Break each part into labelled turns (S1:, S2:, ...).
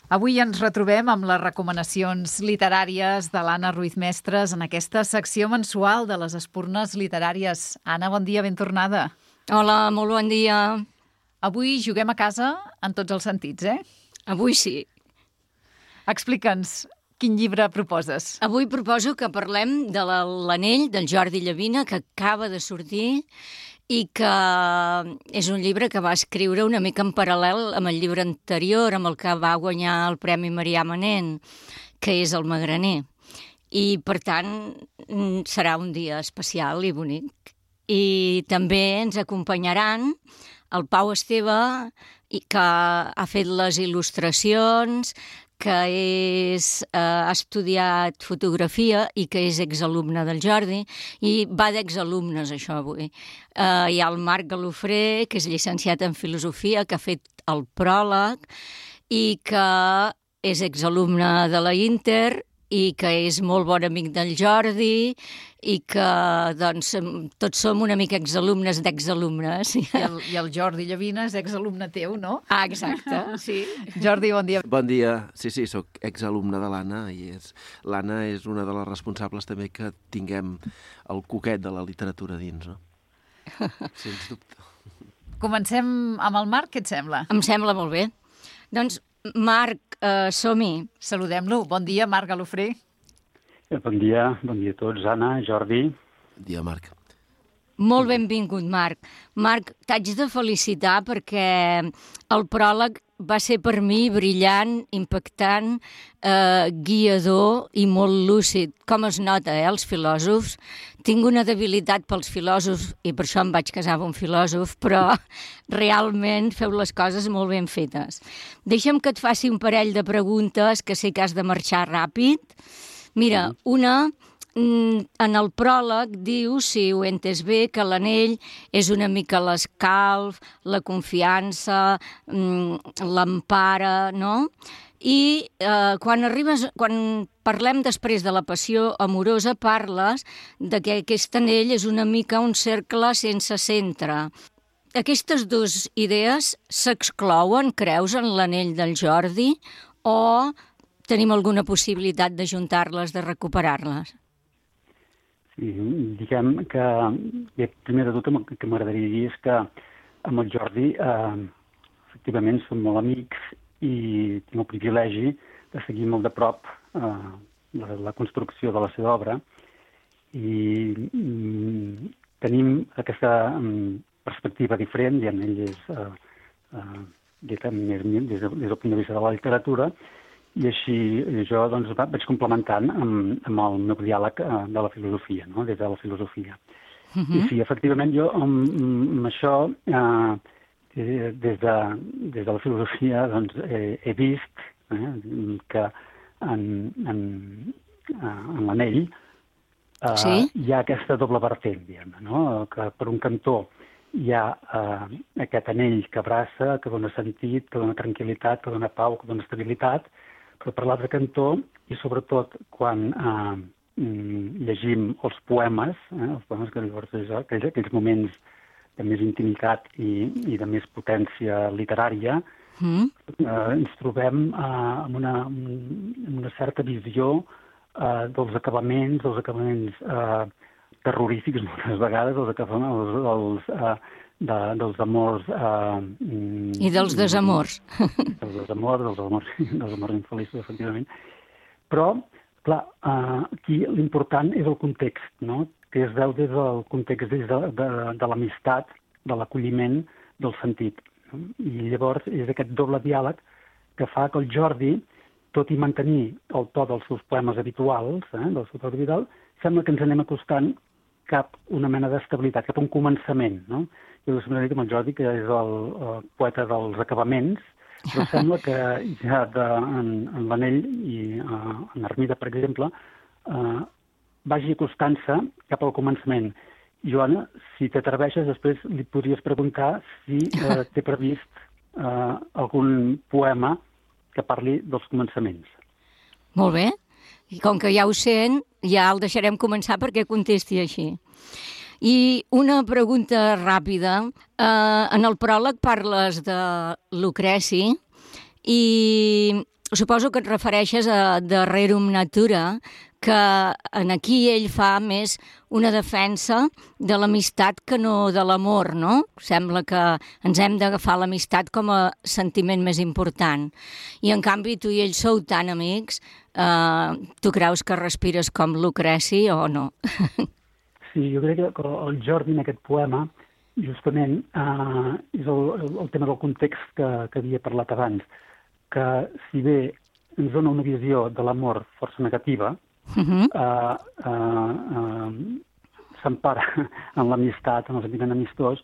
S1: Avui ens retrobem amb les recomanacions literàries de l'Anna Ruiz Mestres en aquesta secció mensual de les espurnes literàries. Anna, bon dia, ben tornada.
S2: Hola, molt bon dia.
S1: Avui juguem a casa en tots els sentits,
S2: Avui sí.
S1: Explica'ns, quin llibre proposes?
S2: Avui proposo que parlem de l'Anell, del Jordi Llavina, que acaba de sortir i que és un llibre que va escriure una mica en paral·lel amb el llibre anterior, amb el que va guanyar el Premi Marià Manent, que és El Magraner. I, per tant, serà un dia especial i bonic. I també ens acompanyaran el Pau Esteve, que ha fet les il·lustracions, que ha estudiat fotografia i que és exalumne del Jordi, i va d'exalumnes, això, avui. Hi ha el Marc Galofré, que és llicenciat en filosofia, que ha fet el pròleg i que és exalumne de la Inter i que és molt bon amic del Jordi i que, doncs, tots som una mica exalumnes d'exalumnes.
S1: I el Jordi Llavina és exalumne teu, no?
S2: Ah, exacte, sí.
S1: Jordi, bon dia.
S3: Bon dia. Sí, soc exalumne de l'Anna i l'Anna és una de les responsables també que tinguem el coquet de la literatura dins, no? Sens dubte.
S1: Comencem amb el Marc, què et sembla?
S2: Em sembla molt bé. Doncs, Marc, som-hi.
S1: Saludem-lo. Bon dia, Marc Galofré.
S4: Bon dia a tots, Anna, Jordi.
S3: Bon dia, Marc.
S2: Molt benvingut, Marc. Marc, t'haig de felicitar perquè el pròleg va ser per mi brillant, impactant, guiador i molt lúcid. Com es nota, els filòsofs? Tinc una debilitat pels filòsofs i per això em vaig casar amb un filòsof, però realment feu les coses molt ben fetes. Deixa'm que et faci un parell de preguntes, que sé que has de marxar ràpid. Mira, una, en el pròleg diu, si ho he entès bé, que l'anell és una mica l'escalf, la confiança, l'empara, no? I quan parlem després de la passió amorosa, parles de que aquest anell és una mica un cercle sense centre. Aquestes dues idees s'exclouen, creus, en l'anell del Jordi, o tenim alguna possibilitat d'ajuntar-les, de recuperar-les?
S4: Sí, diguem que, primer de tot, el que m'agradaria dir és que amb el Jordi efectivament som molt amics i tinc el privilegi de seguir molt de prop la construcció de la seva obra i tenim aquesta perspectiva diferent, diguem, ell és des del punt de vista de la literatura, i així jo doncs, vaig complementant amb el meu diàleg de la filosofia, no? Des de la filosofia. I sí, efectivament, jo amb això, des de la filosofia, doncs, he vist que en l'anell hi ha aquesta doble vertent, diguem-ne, no? Que per un cantó hi ha aquest anell que abraça, que dona sentit, que dona tranquil·litat, que dona pau, que dona estabilitat, però per l'altre cantó, i sobretot quan llegim els poemes que llavors aquells moments de més intimitat i de més potència literària, ens trobem amb una certa visió dels acabaments terrorífics moltes vegades, dels amors...
S2: I dels desamors.
S4: Dels amors infeliços, efectivament. Però, clar, aquí l'important és el context, no? Que es veu des del context de l'amistat, de l'acolliment, del sentit. I llavors és aquest doble diàleg que fa que el Jordi, tot i mantenir el to dels seus poemes habituals, del seu to habitual, sembla que ens anem acostant cap una mena d'estabilitat, cap un començament, no? Jo sempre dic amb el Jordi que és el poeta dels acabaments, però sembla que ja en l'anell i en Armida, per exemple, vagi acostant-se cap al començament. Joana, si t'atreveixes, després li podries preguntar si té previst algun poema que parli dels començaments.
S2: Molt bé. I com que ja ho sent, ja el deixarem començar perquè contesti així. I una pregunta ràpida. En el pròleg parles de Lucreci i suposo que et refereixes a De Rerum Natura, que en aquí ell fa més una defensa de l'amistat que no de l'amor, no? Sembla que ens hem d'agafar l'amistat com a sentiment més important. I en canvi tu i ell sou tan amics, tu creus que respires com Lucreci o no?
S4: Sí, jo crec que el Jordi en aquest poema justament és el tema del context que havia parlat abans, que si bé ens dona una visió de l'amor força negativa, s'empara en l'amistat, en el sentiment amistós,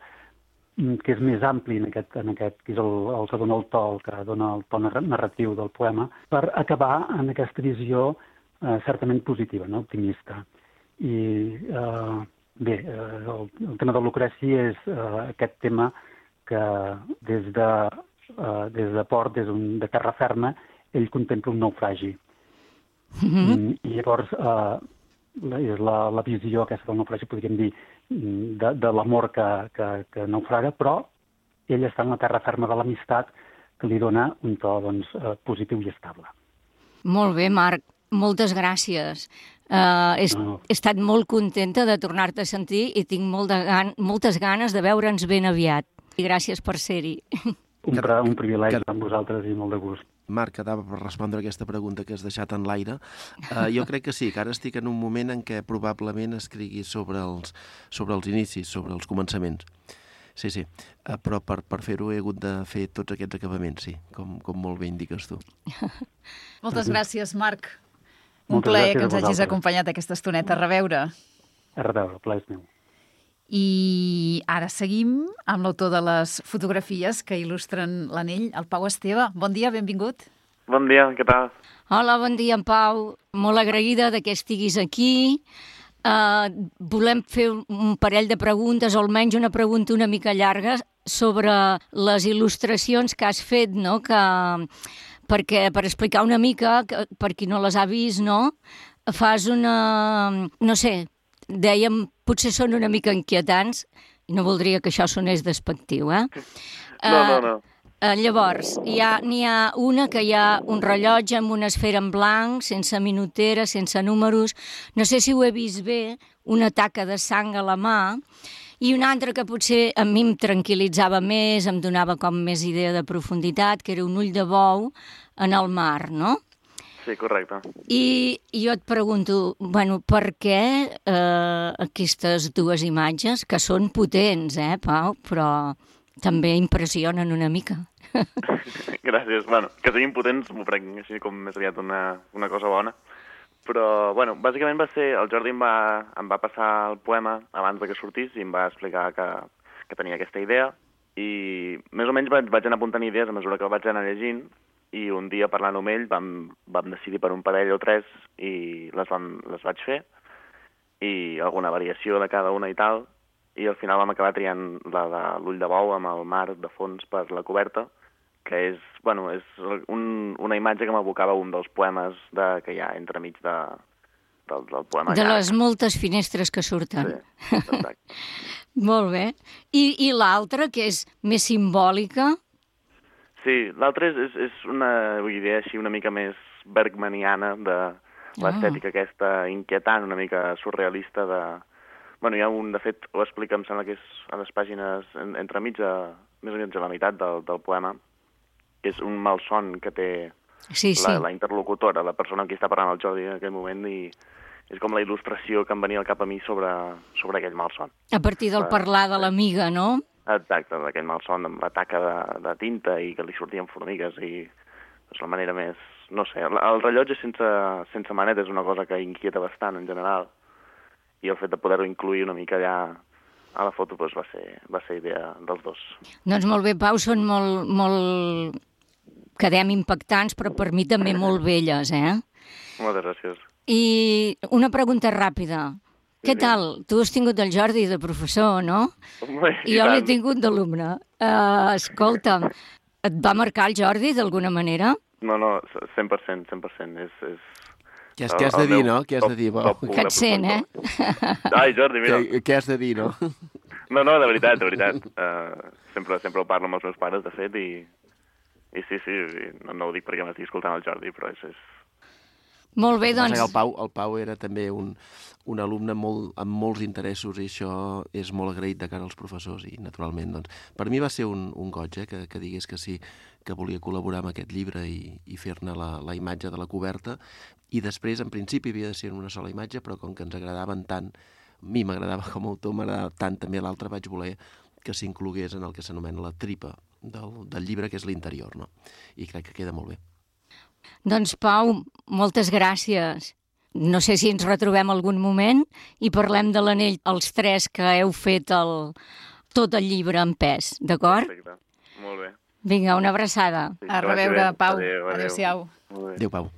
S4: que és més ampli en aquest que és el que dona el to, el que dona el to narratiu del poema, per acabar en aquesta visió certament positiva, no? Optimista. I bé, el tema de Lucreci és aquest tema que des de port, de terra ferma, ell contempla un naufragi. I llavors és la visió aquesta del naufragi, podríem dir, de l'amor que naufraga, però ell està en la terra ferma de l'amistat que li dona un to positiu i estable.
S2: Molt bé, Marc. Moltes gràcies. He estat molt contenta de tornar-te a sentir i tinc moltes ganes de veure'ns ben aviat. I gràcies per ser-hi.
S4: Un privilegi amb vosaltres i molt de gust.
S3: Marc, quedava per respondre aquesta pregunta que has deixat en l'aire. Jo crec que sí, que ara estic en un moment en què probablement escrigui sobre els inicis, sobre els començaments. Sí, però per fer-ho he hagut de fer tots aquests acabaments, sí, com molt bé indiques tu.
S1: Moltes gràcies, Marc. Un plaer que ens hagis acompanyat aquesta estoneta. A reveure.
S4: A reveure, el plaer és meu.
S1: I ara seguim amb l'autor de les fotografies que il·lustren l'anell, el Pau Esteve. Bon dia, benvingut.
S5: Bon dia, què tal?
S2: Hola, bon dia, en Pau. Molt agraïda de que estiguis aquí. Volem fer un parell de preguntes, o almenys una pregunta una mica llarga, sobre les il·lustracions que has fet, no?, perquè per explicar una mica, per qui no les ha vist, no?, fas una... no sé, dèiem, potser són una mica inquietants, i no voldria que això sonés despectiu,
S5: No.
S2: Llavors, n'hi ha una que hi ha un rellotge amb una esfera en blanc, sense minutera, sense números, no sé si ho he vist bé, una taca de sang a la mà, i una altra que potser a mi em tranquil·litzava més, em donava com més idea de profunditat, que era un ull de bou en el mar, no?
S5: Sí, correcte.
S2: I jo et pregunto, per què aquestes dues imatges, que són potents, Pau, però també impressionen una mica.
S5: Gràcies. Que siguin potents m'ho prenc així com més aviat una cosa bona. Però, bàsicament va ser... El Jordi em va passar el poema abans que sortís i em va explicar que tenia aquesta idea i més o menys vaig anar apuntant idees a mesura que el vaig anar llegint i un dia parlant amb ell vam decidir per un parell o tres i les vaig fer i alguna variació de cada una i tal i al final vam acabar triant la de l'ull de bou amb el mar de fons per la coberta, que és una imatge que m'evocava un dels poemes que hi ha entremig del poema.
S2: De les moltes finestres que surten.
S5: Sí, exacte.
S2: Molt bé. I l'altra, que és més simbòlica?
S5: Sí, l'altra és una idea així una mica més bergmaniana de l'estètica aquesta inquietant, una mica surrealista de... hi ha de fet, ho explica, em sembla que és a les pàgines entremig, més o menys a la meitat del poema, que és un malson que té la interlocutora, la persona amb qui està parlant el Jordi en aquell moment, i és com la il·lustració que em venia al cap a mi sobre aquell malson.
S2: A partir del parlar de l'amiga, no?
S5: Exacte, d'aquell malson amb la taca de tinta i que li sortien formigues i és la manera més... No sé, el rellotge sense manet és una cosa que inquieta bastant en general i el fet de poder-ho incluir una mica allà a la foto va ser idea dels dos.
S2: Doncs molt bé, Pau, són molt quedem impactants, però per mi també molt belles,
S5: Moltes gràcies.
S2: I una pregunta ràpida. Què tal? Tu has tingut el Jordi de professor, no? I jo l'he tingut d'alumne. Escolta'm, et va marcar el Jordi d'alguna manera?
S5: No, 100%.
S3: Què has de dir, no? Què has de dir, Pau?
S2: Que et sent,
S5: Ai, Jordi, mira.
S3: Què has de dir, no?
S5: No, de veritat. Sempre ho parlo amb els meus pares, de fet, i I sí, no ho dic perquè m'estic escoltant el Jordi, però és...
S2: Molt bé, doncs...
S3: El Pau era també un alumne amb molts interessos i això és molt agraït de cara als professors i, naturalment, doncs, per mi va ser un goig que digués que sí, que volia col·laborar amb aquest llibre i fer-ne la imatge de la coberta i després, en principi, havia de ser en una sola imatge, però com que ens agradaven tant, a mi m'agradava com a autor, m'agradava tant també l'altre, vaig voler que s'inclogués en el que s'anomena la tripa del llibre, que és l'interior, no? I crec que queda molt bé.
S2: Doncs, Pau, moltes gràcies. No sé si ens retrobem algun moment i parlem de l'anell, els tres que heu fet tot el llibre en pes, d'acord?
S5: Perfecte, molt bé.
S2: Vinga, una abraçada.
S5: Sí,
S1: A reveure, Pau.
S5: Adéu-siau.
S3: Adéu, Pau.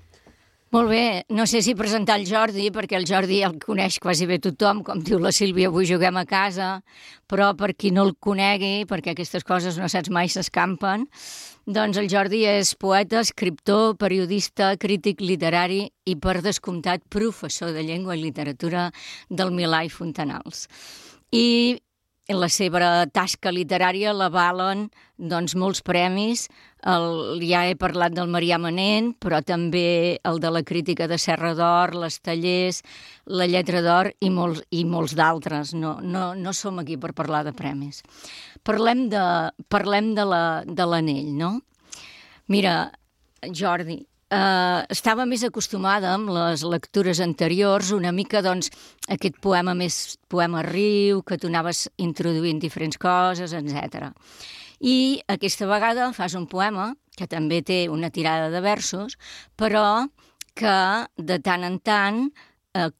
S2: Molt bé, no sé si presentar el Jordi, perquè el Jordi el coneix quasi bé tothom, com diu la Sílvia, avui juguem a casa, però per qui no el conegui, perquè aquestes coses no saps mai s'escampen, doncs el Jordi és poeta, escriptor, periodista, crític literari i, per descomptat, professor de llengua i literatura del Milà i Fontanals. I la seva tasca literària l'avalen doncs, molts premis. Ja he parlat del Marià Manent, però també el de la crítica de Serra d'Or, les Tallers, la Lletra d'Or i molts d'altres. No som aquí per parlar de premis. Parlem de l'anell, no? Mira, Jordi, estava més acostumada amb les lectures anteriors, una mica, doncs, aquest poema més poema riu, que tu anaves introduint diferents coses, etc. I aquesta vegada fas un poema que també té una tirada de versos, però que de tant en tant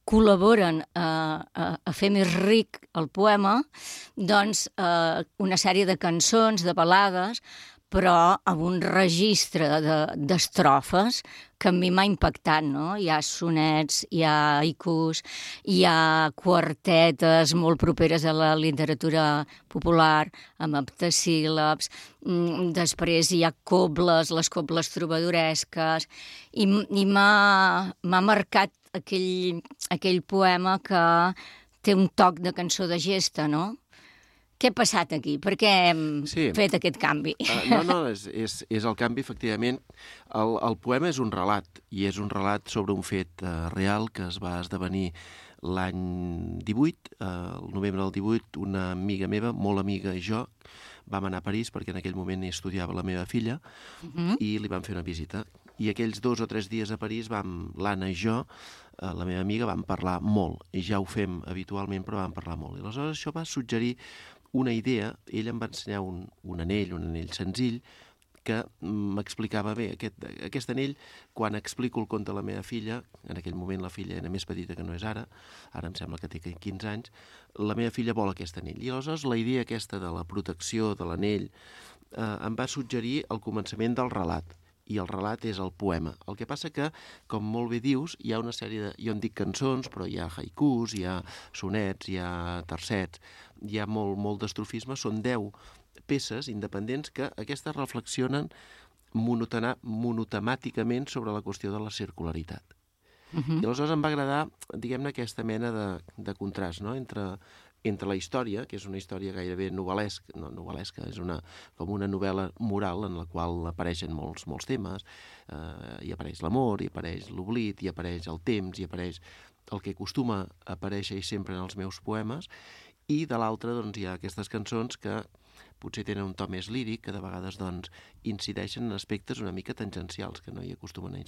S2: col·laboren a fer més ric el poema, doncs una sèrie de cançons, de balades, però amb un registre d'estrofes que a mi m'ha impactat, no? Hi ha sonets, hi ha haikus, hi ha quartetes molt properes a la literatura popular, amb heptasíl·labs, després hi ha cobles, les cobles trobadoresques, i m'ha marcat aquell poema que té un toc de cançó de gesta, no? Què ha passat aquí? Per què hem fet aquest canvi?
S3: No, és el canvi, efectivament. El poema és un relat, i és un relat sobre un fet real que es va esdevenir l'any 18, el novembre del 18, una amiga meva, molt amiga, i jo, vam anar a París, perquè en aquell moment hi estudiava la meva filla, i li vam fer una visita. I aquells 2 o 3 dies a París, l'Anna i jo, la meva amiga, vam parlar molt, i ja ho fem habitualment, però vam parlar molt. I aleshores això va suggerir una idea. Ell em va ensenyar un anell senzill, que m'explicava bé. Aquest anell, quan explico el conte a la meva filla, en aquell moment la filla era més petita que no és ara em sembla que té 15 anys, la meva filla vol aquest anell. I aleshores la idea aquesta de la protecció de l'anell em va suggerir el començament del relat. I el relat és el poema. El que passa que, com molt bé dius, hi ha una sèrie de... Jo en dic cançons, però hi ha haikus, hi ha sonets, hi ha tercets, hi ha molt d'estrofisme. Són 10 peces independents que aquestes reflexionen monotemàticament sobre la qüestió de la circularitat. I aleshores em va agradar, diguem-ne, aquesta mena de contrast, no?, entre la història, que és una història gairebé novel·lesca, és com una novel·la moral en la qual apareixen molts temes, hi apareix l'amor, hi apareix l'oblit, hi apareix el temps, hi apareix el que acostuma a aparèixer sempre en els meus poemes, i de l'altra doncs, hi ha aquestes cançons que potser tenen un to més líric, que de vegades doncs, incideixen en aspectes una mica tangencials, que no hi acostumen a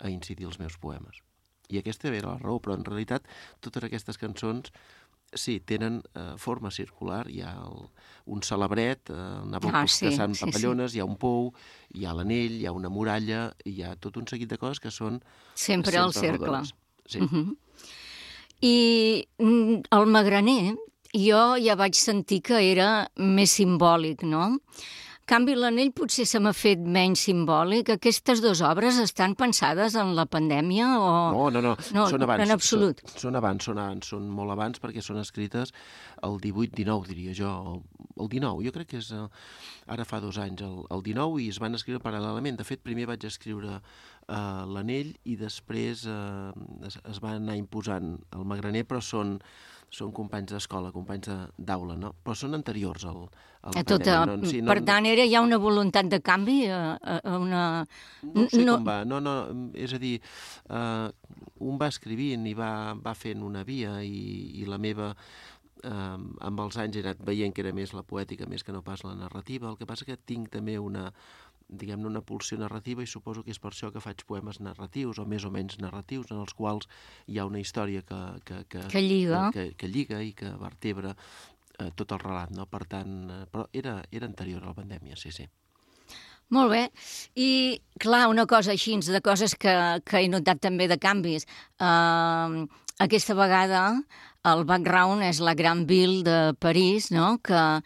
S3: incidir els meus poemes. I aquesta era la raó, però en realitat totes aquestes cançons sí, tenen forma circular. Hi ha un celebret, el Nabòcols de Sant Papallones, hi ha un pou, hi ha l'anell, hi ha una muralla, hi ha tot un seguit de coses que són
S2: sempre al cercle.
S3: Rodones. Sí.
S2: I el Magraner, jo ja vaig sentir que era més simbòlic, no? En canvi, l'anell potser se m'ha fet menys simbòlic. Aquestes 2 obres estan pensades en la pandèmia o...
S3: No, són abans.
S2: En absolut.
S3: Són són molt abans perquè són escrites el 18-19, diria jo. El 19, jo crec que és... Ara fa 2 anys, el 19, i es van escriure paral·lelament. De fet, primer vaig escriure l'Anell i després es va anar imposant el Magraner, però són companys d'escola, companys d'aula, no? Però són anteriors a la pandèmia.
S2: Per tant, era ja una voluntat de canvi?
S3: No sé com va. No, és a dir, un va escrivint i va fent una via i la meva, amb els anys, he anat veient que era més la poètica més que no pas la narrativa. El que passa que tinc també una pulsió narrativa i suposo que és per això que faig poemes narratius o més o menys narratius en els quals hi ha una història que lliga i que vertebra tot el relat, no? Per tant, però era anterior a la pandèmia, sí.
S2: Molt bé. I, clar, una cosa així, de coses que he notat també de canvis. Aquesta vegada el background és la Gran Ville de París, no?, que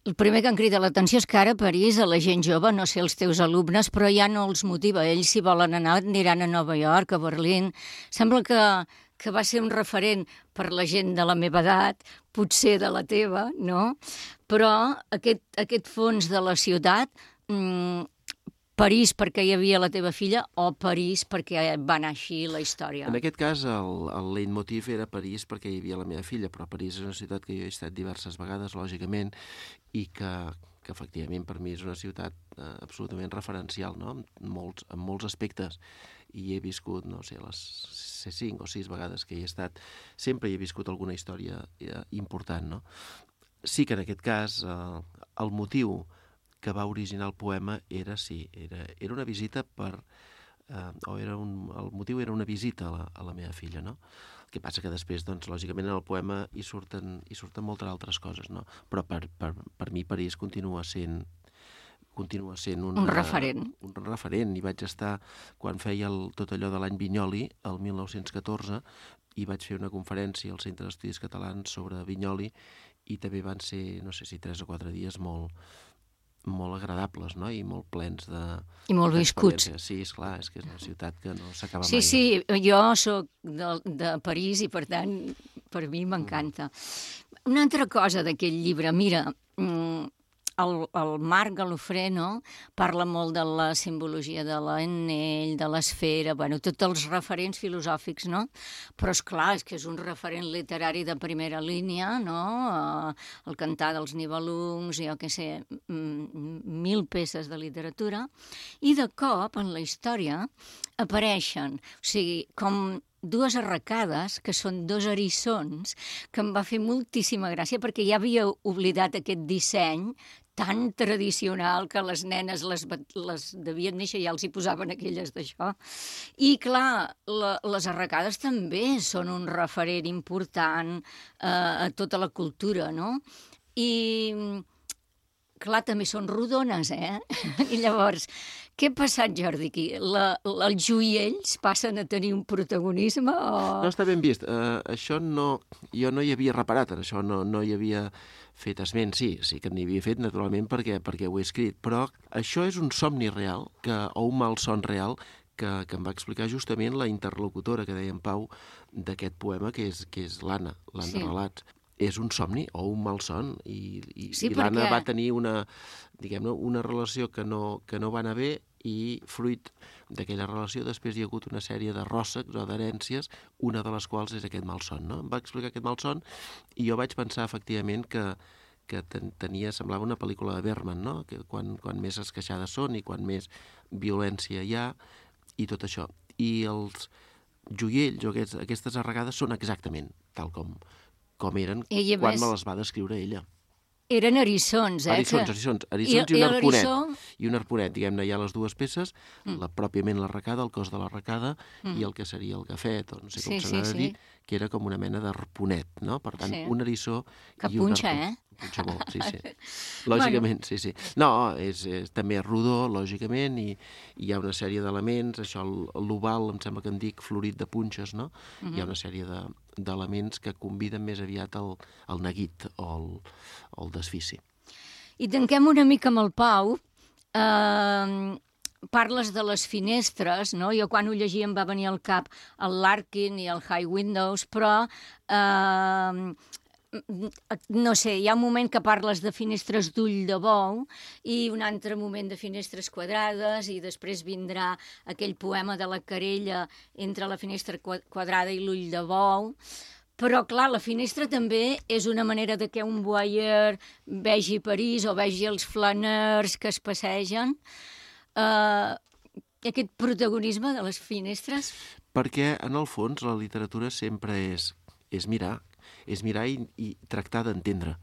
S2: el primer que em crida l'atenció és que ara a París, a la gent jove, no sé els teus alumnes, però ja no els motiva. Ells, si volen anar, aniran a Nova York, a Berlín. Sembla que va ser un referent per la gent de la meva edat, potser de la teva, no? Però aquest fons de la ciutat, París perquè hi havia la teva filla o París perquè va anar així la història?
S3: En aquest cas, el leitmotiv era París perquè hi havia la meva filla, però París és una ciutat que jo he estat diverses vegades, lògicament, i que efectivament per mi és una ciutat absolutament referencial, no?, en molts aspectes. I he viscut, no sé, les 5 o 6 vegades que hi he estat, sempre hi he viscut alguna història important, no? Sí que en aquest cas el motiu que va originar el poema era una visita el motiu era una visita a la meva filla, no? El que passa que després, doncs, lògicament, en el poema hi surten moltes altres coses, no? Però per mi París continua sent un
S2: referent.
S3: Un referent. I vaig estar, quan feia tot allò de l'any Vinyoli, el 1914, i vaig fer una conferència al Centre d'Estudis Catalans sobre Vinyoli, i també van ser, no sé si 3 o 4 dies molt agradables, no?, i molt plens de...
S2: I molt viscuts.
S3: Sí, esclar, és que és una ciutat que no s'acaba mai.
S2: Sí, jo soc de París i, per tant, per mi m'encanta. Una altra cosa d'aquest llibre, mira, el Marc Galofré, no?, parla molt de la simbologia de l'anell, de l'esfera, bueno, tots els referents filosòfics, no? Però, esclar, és que és un referent literari de primera línia, no?, el Cantar dels Nibelungs, jo què sé, 1000 peces de literatura, i de cop, en la història, apareixen, o sigui, com 2 arracades, que són 2 eriçons, que em va fer moltíssima gràcia, perquè ja havia oblidat aquest disseny tan tradicional que les nenes les devien néixer i ja els hi posaven aquelles d'això. I, clar, les arracades també són un referent important a tota la cultura, no? I, clar, també són rodones, I llavors, què ha passat, Jordi, aquí? Els joiells passen a tenir un protagonisme o...?
S3: No està ben vist. Això jo no hi havia reparat, en això no hi havia fet esment. Sí que n'hi havia fet, naturalment, perquè ho he escrit, però això és un somni real, o un malson real, que em va explicar justament la interlocutora que deia en Pau d'aquest poema, que és l'Anna Relats. És un somni o un malson, i l'Anna va tenir una relació que no va anar bé, i fruit d'aquella relació després hi ha hagut una sèrie de ròssecs o d'herències, una de les quals és aquest malson, no? Em va explicar aquest malson i jo vaig pensar efectivament que semblava una pel·lícula de Bergman, no? Que quan més esqueixades són i quan més violència hi ha i tot això. I els joiells o aquestes arracades són exactament tal com eren quan me les va descriure ella.
S2: Eren eriçons,
S3: Eriçons i un arponet. I un arponet, diguem-ne, hi ha les 2 peces, pròpiament l'arracada, el cos de l'arracada, i el que seria el gafet, o no sé com s'ha de dir, que era com una mena d'arponet, no? Per tant, un eriçó i un arponet. Punxa molt, sí. Lògicament, sí. No, també és rodó, lògicament, i hi ha una sèrie d'elements, això, l'oval, em sembla que en dic florit de punxes, no? Hi ha una sèrie d'elements que conviden més aviat al neguit o el desfici.
S2: I tanquem una mica amb el Pau. Parles de les finestres, no? Jo quan ho llegia em va venir al cap el Larkin i el High Windows, però no sé, hi ha un moment que parles de finestres d'ull de bou i un altre moment de finestres quadrades i després vindrà aquell poema de la Querella entre la finestra quadrada i l'ull de bou. Però, clar, la finestra també és una manera de que un voyeur vegi París o vegi els flaneurs que es passegen. Aquest protagonisme de les finestres...
S3: Perquè, en el fons, la literatura sempre és mirar i tractar d'entendre.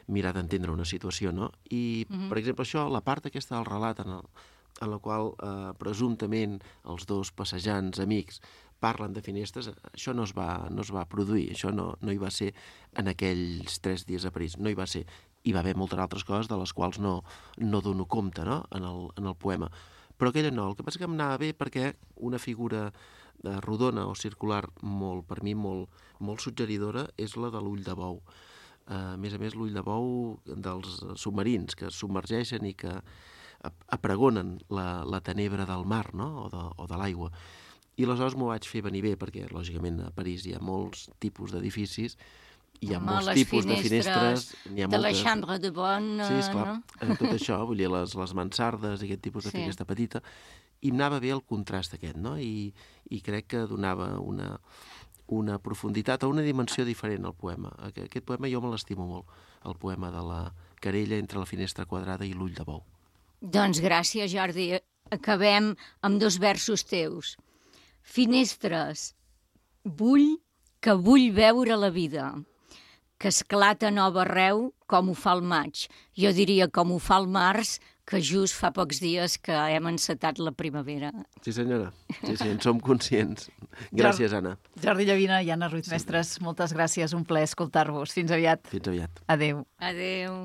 S3: Mirar d'entendre una situació, no? I, per exemple, això, la part aquesta del relat en la qual, presumptament, els dos passejants amics parlen de finestres, això no es va produir, això no hi va ser en aquells 3 dies a París, no hi va ser. Hi va haver moltes altres coses de les quals no dono compte, no?, en el poema. Però aquella no, el que passa que em anava bé perquè una figura rodona o circular per mi molt suggeridora és la de l'ull de bou. A més, l'ull de bou dels submarins que es submergeixen i que apregonen la tenebra del mar, no?, o de l'aigua. I aleshores m'ho vaig fer venir bé, perquè, lògicament, a París hi ha molts tipus d'edificis, hi ha molts tipus de finestres...
S2: De la Chambre de Bonne...
S3: Sí, esclar, tot això, vull dir, les mansardes i aquest tipus de finestra petita, i em anava bé el contrast aquest, no? I crec que donava una profunditat o una dimensió diferent al poema. Aquest poema jo me l'estimo molt, el poema de la Querella entre la finestra quadrada i l'ull de bou.
S2: Doncs gràcies, Jordi. Acabem amb 2 versos teus. Finestres, vull veure la vida, que esclata nova arreu com ho fa el maig. Jo diria com ho fa el març, que just fa pocs dies que hem encetat la primavera.
S3: Sí, senyora. Sí, en som conscients. Gràcies, Anna.
S1: Jordi Llavina i Anna Ruiz Mestres, moltes gràcies. Un plaer escoltar-vos. Fins aviat.
S3: Fins aviat.
S1: Adéu.
S2: Adéu.